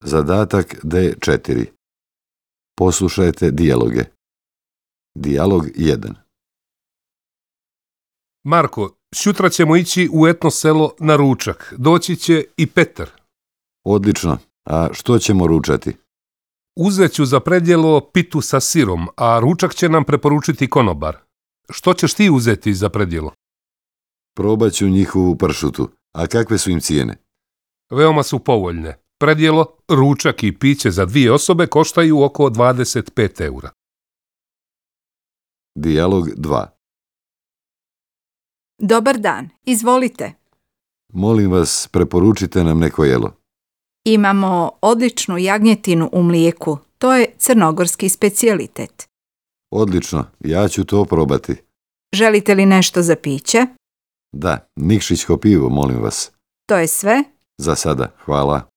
Zadatak D4. Poslušajte dijaloge. Dijalog 1. Marko, sutra ćemo ići u etno selo na ručak. Doći će i Petar. Odlično. A što ćemo ručati? Uzet ću za predjelo pitu sa sirom, a ručak će nam preporučiti konobar. Što ćeš ti uzeti za predjelo? Probat ću njihovu pršutu. A kakve su im cijene? Veoma su povoljne. Predjelo, ručak i piće za 2 osobe koštaju oko 25 eura. Dijalog 2. Dobar dan, izvolite. Molim vas, preporučite nam neko jelo. Imamo odličnu jagnjetinu u mlijeku. To je crnogorski specijalitet. Odlično, ja ću to probati. Želite li nešto za piće? Da, nikšićko pivo, molim vas. To je sve? Za sada, hvala.